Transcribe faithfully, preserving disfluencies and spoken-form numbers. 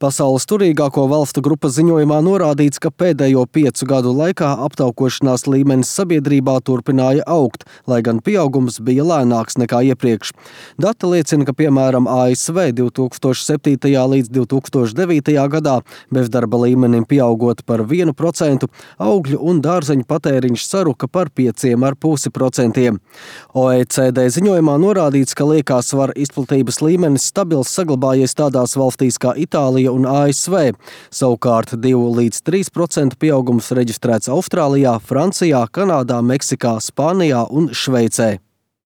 Pasaules turīgāko valstu grupas ziņojumā norādīts, ka pēdējo piecu gadu laikā aptaukošanās līmenis sabiedrībā turpināja augt, lai gan pieaugums bija lēnāks nekā iepriekš. Dati liecina, ka piemēram A S V divi tūkstoši septītajā līdz divi tūkstoši devītajā gadā bezdarba līmenim pieaugot par vienu procentu, augļu un dārzeņu patēriņš saruka par pieciem ar pusi procentiem. O E C D ziņojumā norādīts, ka liekā svara izplatības līmenis stabils saglabājies tādās valstīs kā Itālija un A S V. Savukārt divi līdz trīs procentu pieaugums reģistrēts Austrālijā, Francijā, Kanādā, Meksikā, Spānijā un Šveicē.